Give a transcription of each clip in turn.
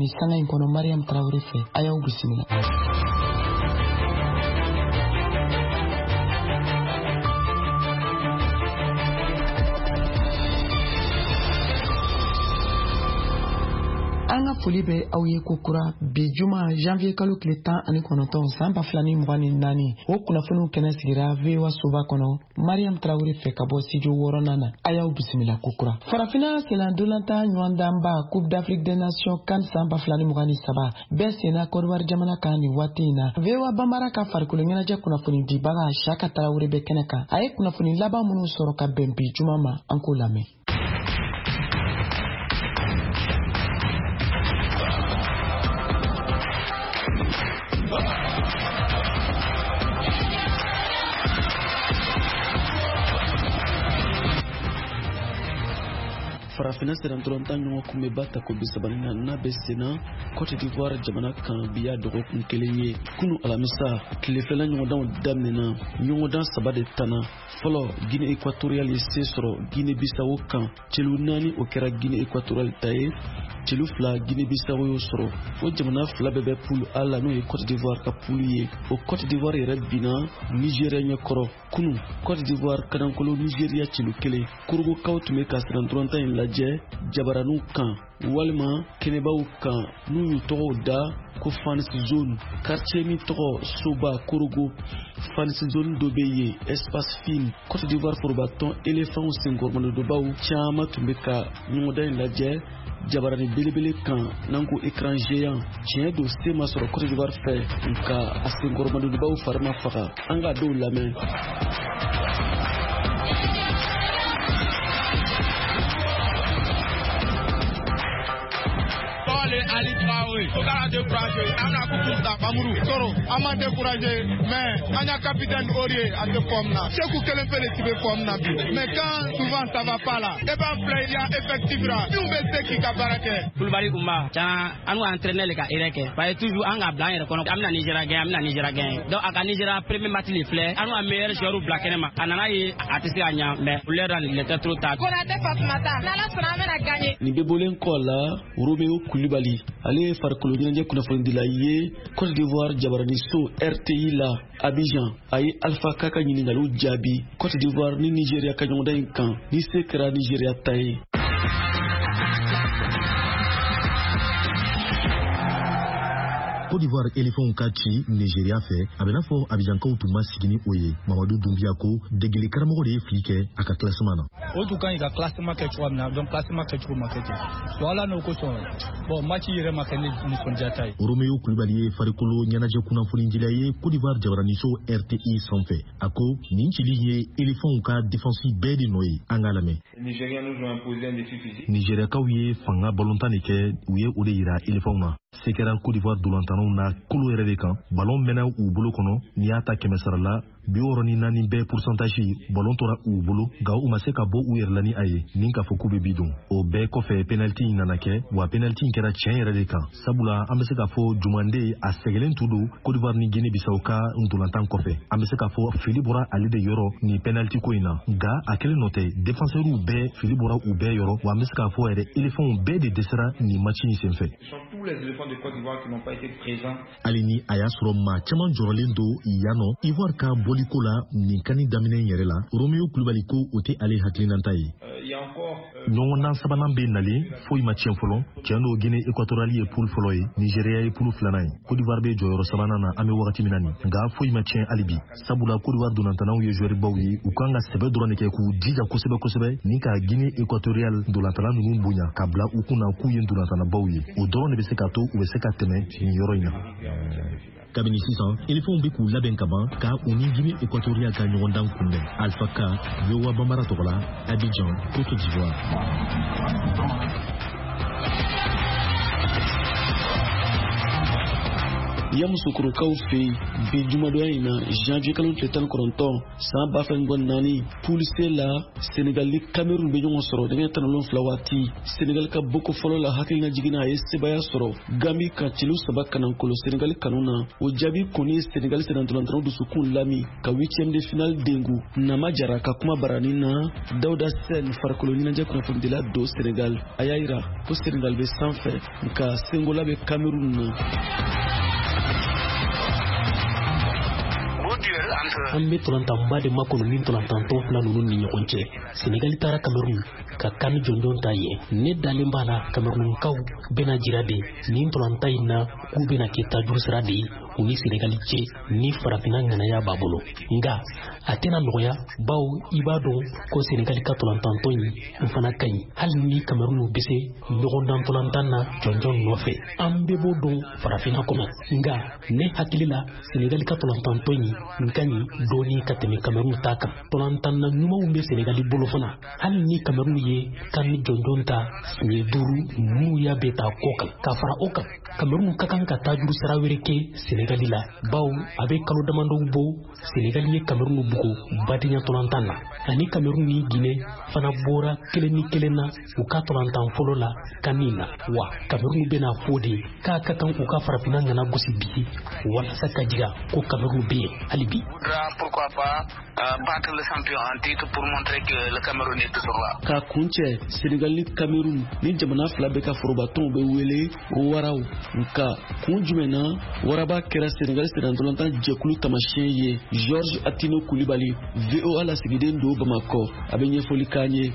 Nin sanga in kɔnɔ, Mariam Tarawele fɛ, a y'aw bisimila. An ka foli bɛ aw ye ko kura bi juma janvier kalo tile 19 san 2024. O kunnafoniw kɛnɛ sigira VOA soba kɔnɔ, Mariam Tarawele fɛ ka bɔ studio wɔɔrɔnan na. A y'aw bisimila ko kura. Farafinna sennantolatan ɲɔgɔndanba Coupe d'Afrique des Nations CAN san 2023 bɛɛ senna Kɔdiwari jamana kan nin waati in na. VOA Bambara ka farikolo ɲɛnajɛ kunnafoni dibaga Siyaka Tarawele bɛ kɛnɛ kan. A ye kunnafoni laban minnu sɔrɔ ka bɛn bi juma ma, an k'o lamɛn. Farafinna sennantolatan ɲɔgɔn kunbɛnba tako 34nan bɛ senna Cote d'Ivoire jamana kan. Bi y'a dɔgɔkun kelen ye. Kunu alamisa tilefɛla ɲɔgɔndanw daminɛna. Ɲɔgɔndan saba de tanna. Fɔlɔ, Guinée Équatoriale ye se sɔrɔ Guinée Bissau kan celu 4. O kɛra Guinée Équatoriale ta ye. Celu 2, Guinée Bissau y'o sɔrɔ. O jamana fila bɛɛ bɛ poule A la, n'o ye Cote d'Ivoire ka poule ye. O Cote d'Ivoire yɛrɛ binna Nigeria ɲɛkɔrɔ kunu. Cote d'Ivoire kanankolo Nigeria celu 1. Korogokaw tun bɛ ka sennantolatan in lajɛ jabaraniw kan walima kɛnɛbaw kan, n'u y'u tɔgɔw da ko fans zone. Quartier min tɔgɔ Soba Korogo, fans zone dɔ bɛ yen, espace film. Cote d'Ivoire forobatɔn Elefanw senkɔrɔmadonbaw caman tun bɛ ka ɲɔgɔndan in lajɛ jabarani belebele kan, n'an ko écran géant. Tiɲɛ don, se ma sɔrɔ Cote d'Ivoire fɛ, nka a senkɔrɔmadonbaw fari ma faga. An ka dɔw lamɛn. Ali Traoré, faut pas décourager. An ka coupe ta Bamuru Soro, an ma décourager, mais an ya capitaine Aurier a tɛ forme na. Seku kelen pe de ti bɛ forme na bi. Mais quand souvent ça va pas là, e b'a filɛ i ya effectif la, min bɛ se k'i ka baara kɛ. Kulubali Umba, can an ka entraîneur le ka erreur kɛ, parce que toujours an ka bila an yɛrɛ kɔnɔ, an bɛna Nigeria gagner, an bɛna Nigeria gagner. Donc a ka Nigeria premier match le filɛ, an ka meilleur joueur bila kɛnɛ ma, a nana ye a tɛ se ka ɲa, mais l'heure il était trop tard. Konate Fatumata, n'Ala sɔnna an bɛna gagner. Nin bɛ bɔlen kɔ la, Romeo Kulibali, ale ye farikolo ɲɛnajɛ kunnafonidila ye Cote d'Ivoire jabaraniso RTI la Abidjan. A ye Alpha Ka ka ɲininkaliw jaabi Cote d'Ivoire ni Nigeria ka ɲɔgɔndan in kan, ni se kɛra Nigeria ta ye. Côte d'Ivoire Elefanw ka ci Nigeria fɛ, a bɛ n'a fɔ Abijankaw tun ma sigi ni o ye. Mamadu Dunbiya ko degeli karamɔgɔ de ye fili kɛ a ka classement na. O tun ka ɲi ka classement kɛ cogoya min na, donc classement kɛcogo ma kɛ ten. Donc ala n'o kosɔn, bon, match yɛrɛ ma kɛ ne nisɔndiya ta ye. Romeo Kulibali ye farikolo ɲɛnajɛ kunnafonidila ye Côte d'Ivoire jabaraniso RTI sanfɛ. A ko nin cili ye Elefanw ka défense bɛɛ de nɔ ye. An k'a lamɛn. Nigériakaw ye fanga balontan de kɛ, u ye o de yira Elefanw na. Se kɛra Côte d'Ivoire dolantannaw na kolo yɛrɛ de kan. Balon mɛnna u bolo kɔnɔ. N'i y'a ta kɛmɛ sara la, 64 bɛɛ pourcentage, balon tora u bolo, nka u ma se ka bɔ u yɛrɛ la ni a ye ni k'a fɔ k'u bɛ bi don. O bɛɛ kɔfɛ, penalty in nana kɛ, wa penalty in kɛra tiɲɛ yɛrɛ de kan, sabula an bɛ se k'a fɔ Jumande a sɛgɛlen tun don Côte d'Ivoire ni Guinée Bissau ka ntolantan kɔfɛ. An bɛ se k'a fɔ fili bɔra ale de yɔrɔ nin penalty ko in na, nka a kelen nɔ tɛ, défenseurw bɛɛ fili bɔra u bɛɛ yɔrɔ. Wa an bɛ se k'a fɔ yɛrɛ, éléphants bɛɛ de dɛsɛra nin match in senfɛ. Hali ni a y'a sɔrɔ maa caman jɔrɔlen don yan nɔ Ivoire ka bɔliko la nin CAN daminɛ in yɛrɛ la, Romeo Kulubali ko o tɛ ale hakilinata ye. Ɲɔgɔndan sabanan bɛ nalen, foyi ma tiɲɛ fɔlɔ. Tiɲɛ don, Guinée Équatoriale ye poule fɔlɔ ye, Nigeria ye poule filanan ye, Côte d'Ivoire bɛ jɔyɔrɔ sabanan na an bɛ wagati min na nin, nka foyi ma tiɲɛ hali bi, sabula Côte d'Ivoire dolantannaw ye joueur baw ye. U kan ka sɛbɛ dɔrɔn de kɛ k'u jija kosɛbɛ kosɛbɛ ni ka Guinée Équatoriale dolantanna ninnu bonya ka bila u kun na k'u ye dolantannabaw ye. O dɔrɔn de bɛ se ka to u bɛ se ka tɛmɛ nin yɔrɔ in na. Kabini sisan, Elefanw bɛ k'u labɛn ka ban ka u ni Guinée Équatoriale ka ɲɔgɔndan kunbɛn. Alpha Ka, VOA Bambara tɔgɔ la, Abidjan, Côte d'Ivoire. Yamusokorokaw fɛ yen bi jumadonya in na, janvier kalo tile 19 san 2024, poule C la, Senegal ni Cameroun bɛ ɲɔgɔn sɔrɔ nɛgɛ 17 waati. Senegal ka boko fɔlɔ la, hakilina jiginna, a ye sebaya sɔrɔ Gambi ka celu 3 kanankolo Senegal kanu na. O jaabi kɔni ye Senegal sennantolatannaw dusukun lami ka huitième de finale dengu. Nama Jara ka kuma barani na, Dawuda Sen, farikolo ɲɛnajɛ kunnafonidila don Senegal, a y'a yira ko Senegal bɛ sanfɛ, nka sengola bɛ Cameroun na. An bɛ tɔlantanba de makɔnɔ ni tɔlantantɔn fila ninnu ni ɲɔgɔn cɛ. Senegali taara Cameroun ka CAN jɔnjɔn ta yen. Ne dalen b'a la, Camerounkaw bɛna jira de nin tɔlantan in na k'u bɛna kɛ tajuru sira de ye u ni Senegali cɛ ni farafinna ŋanaya b'a bolo. Nka a tɛna nɔgɔya, bawo i b'a dɔn ko Senegali ka tɔlantantɔn in fana ka ɲi, hali ni Cameroun bɛ se ɲɔgɔndan tɔlantan na jɔnjɔn nɔfɛ. An bɛɛ b'o dɔn farafinna kɔnɔ. Nka ne hakili la, Senegali ka tɔlantantɔn in ka ɲi dɔɔni ka tɛmɛ Cameroun ta kan. Tɔlantanna ɲumanw bɛ Senegali bolo fana, hali ni Cameroun ye CAN jɔnjɔn ta siɲɛ 5 n'u y'a bɛɛ ta kɔ kan. Ka fara o kan, Cameroun ka kan ka tajuru sira wɛrɛ kɛ Senegali la, bawo a bɛ kalo damadɔw bɔ, Senegali ye Cameroun bugo badenya tɔlantan na, ani Cameroun ni Guinée fana bɔra 1-1 na u ka tɔlantan fɔlɔ la CAN na. Wa Cameroun bɛna fɔ de k'a ka kan u ka farafinna ŋana gosi bi, walasa ka jira ko Cameroun bɛ yen hali bi. Pourquoi pas battre le champion en titre pour montrer que le Cameroun est toujours là. K'a kuncɛ, Senegal ni Cameroun ni jamana fila bɛɛ ka forobatɔnw bɛ wele waraw. Nka kun jumɛn na waraba kɛra Senegal sennantolatan jɛkulu taamasiyɛn ye? Georges Atino Kulibali, VOA lasigiden don Bamakɔ, a bɛ ɲɛfɔli k'an ye.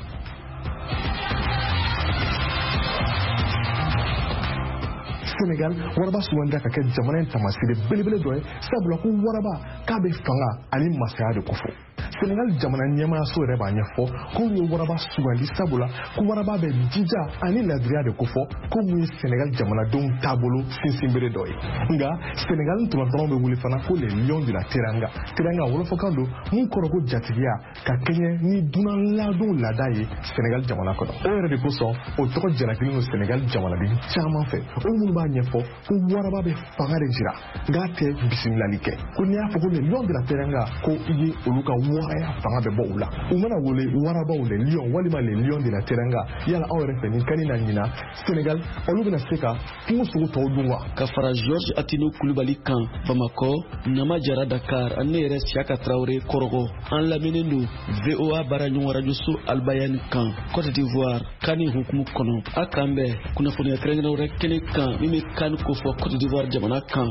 Senegal waraba sugandira ka kɛ jamana in taamasere belebele dɔ ye, sabula ko waraba k'a bɛ fanga ani masaya de kofɔ. Senegal jamana ɲɛmaayaso yɛrɛ b'a ɲɛfɔ k'u ye waraba sugandi sabula ko waraba bɛ jija ani ladiriya de kofɔ, ko mun ye Senegal jamanadenw taabolo sinsinbere dɔ ye. Nka Senegal ntolatannaw bɛ wele fana ko les lions de la Teranga. Teranga wolofɔkan don mun kɔrɔ ko jatigiya, ka kɛɲɛ ni dunan ladon laada ye Senegal jamana kɔnɔ. O yɛrɛ de kosɔn o tɔgɔ jalakilen don Senegal jamanaden caman fɛ, o minnu b'a ɲɛfɔ ko waraba bɛ fanga de jira, nka tɛ bisimilali kɛ. Ko n'i y'a fɔ ko les lions de la Teranga, ko i ye olu ka waraya fanga bɛ bɔ u la. U mana wele warabaw les lions walima les lions de la Teranga. Yala aw yɛrɛ fɛ, nin CAN na ɲina, Senegal olu bɛna se ka kungo sogo tɔw dun wa? Ka fara Georges Atino Kulibali kan Bamakɔ, Nama Jara Dakar, ani ne yɛrɛ Siaka Traoré Kɔrɔgɔ. An lamɛnnen don VOA baara ɲɔgɔn rajoso Albayani kan Côte d'Ivoire CAN hukumu kɔnɔ. A k'an bɛn kunnafoniya kɛrɛnkɛrɛn wɛrɛ kɛnɛ kan min bɛ CAN kofɔ Côte d'Ivoire jamana kan.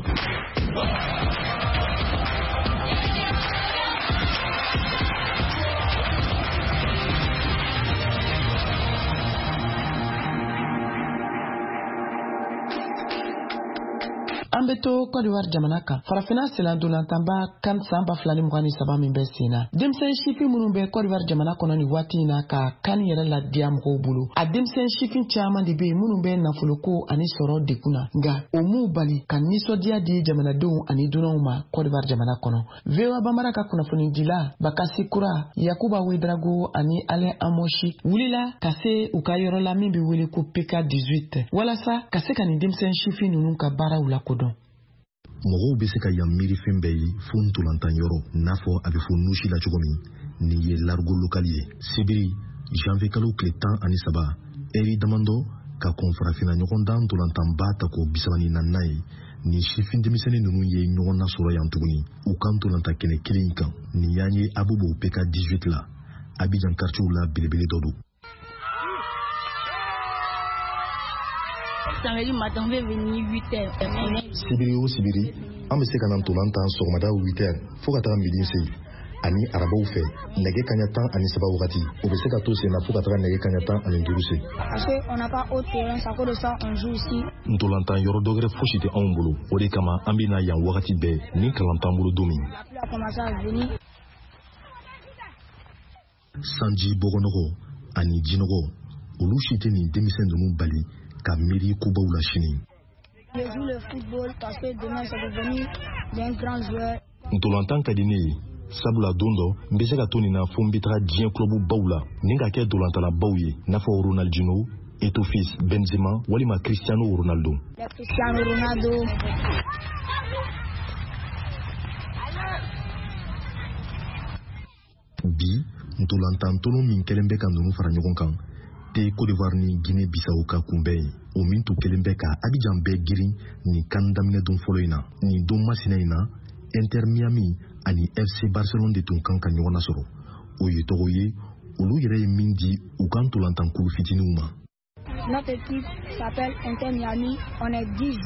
An bɛ to Côte d'Ivoire jamana kan. Farafinna senna-ntolantanba CAN san 2023 min bɛ sen na, denmisɛn sifin minnu bɛ Côte d'Ivoire jamana kɔnɔ nin waati in na ka CAN yɛrɛ ladiya mɔgɔw bolo, a denmisɛn sifin caman de bɛ yen minnu bɛ nafoloko ani sɔrɔ degun na, nka o m'u bali ka nisɔndiya di jamanadenw ani dunanw ma Côte d'Ivoire jamana kɔnɔ. VOA Bambara ka kunnafonidila Bakasi Kura, Yakuba Ouedraogo ani Alain Amoshi wulila ka se u ka yɔrɔ la min bɛ wele ko PK 18, walasa ka se ka nin denmisɛn sifin ninnu ka baaraw lakodɔn. Mɔgɔw bɛ se ka yan miiri fɛn bɛɛ ye fo ntolantan yɔrɔ, n'a fɔ a bɛ fɔ nusi la cogo min. Nin ye largo lokali ye. Sibiri janvier kalo tile 13, ɛri damadɔ ka kɔn farafinna ɲɔgɔndan ntolantanba tako 34nan ye, nin sifin denmisɛnnin ninnu ye ɲɔgɔn nasɔrɔ yan tuguni u ka ntolantan kɛnɛ kelen in kan. Nin y'an ye Abobo PK 18 la, Abidjan quartier la belebele dɔ don. Sibiri o sibiri, an bɛ se ka na ntolan tan sɔgɔmada 8 heures fo ka taga midi se, ani arabaw fɛ nɛgɛ kaɲa 13 wagati, o bɛ se ka to sen na fo ka taga nɛgɛ kaɲa 15 se. Ntolantan yɔrɔ dɔ wɛrɛ fosi tɛ anw bolo, o de kama an bɛ na yan wagati bɛɛ ni kalan t'an bolo don min. Sanji bɔgɔnɔgɔ ani jinɔgɔ, olu si tɛ nin denmisɛn ninnu bali ka miiri kobaw la sini. Ntolantan ka di ne ye, sabula don dɔ n bɛ se ka to nin na fo n bɛ taga diɲɛ kulɔbu baw la ni ka kɛ ntolantalabaw ye, n'a fɔ Ronaldinho, Eto'o fils, Benzema walima Cristiano Ronaldo. Bi ntolantantolon min kɛlen bɛ ka ninnu fara ɲɔgɔn kan te Cote d'Ivoire ni Guinée Bissau ka kunbɛn ye, o min tun kɛlen bɛ ka Abidjan bɛɛ girin nin kan daminɛ don fɔlɔ in na. Nin don masina in na, Inter Miami ani FC Barcelone de tun kan ka ɲɔgɔn nasɔrɔ. O ye tɔgɔ ye olu yɛrɛ ye min di u ka ntolantankulu fitininw ma. Notre équipe s'appelle Inter Miami. On est 10.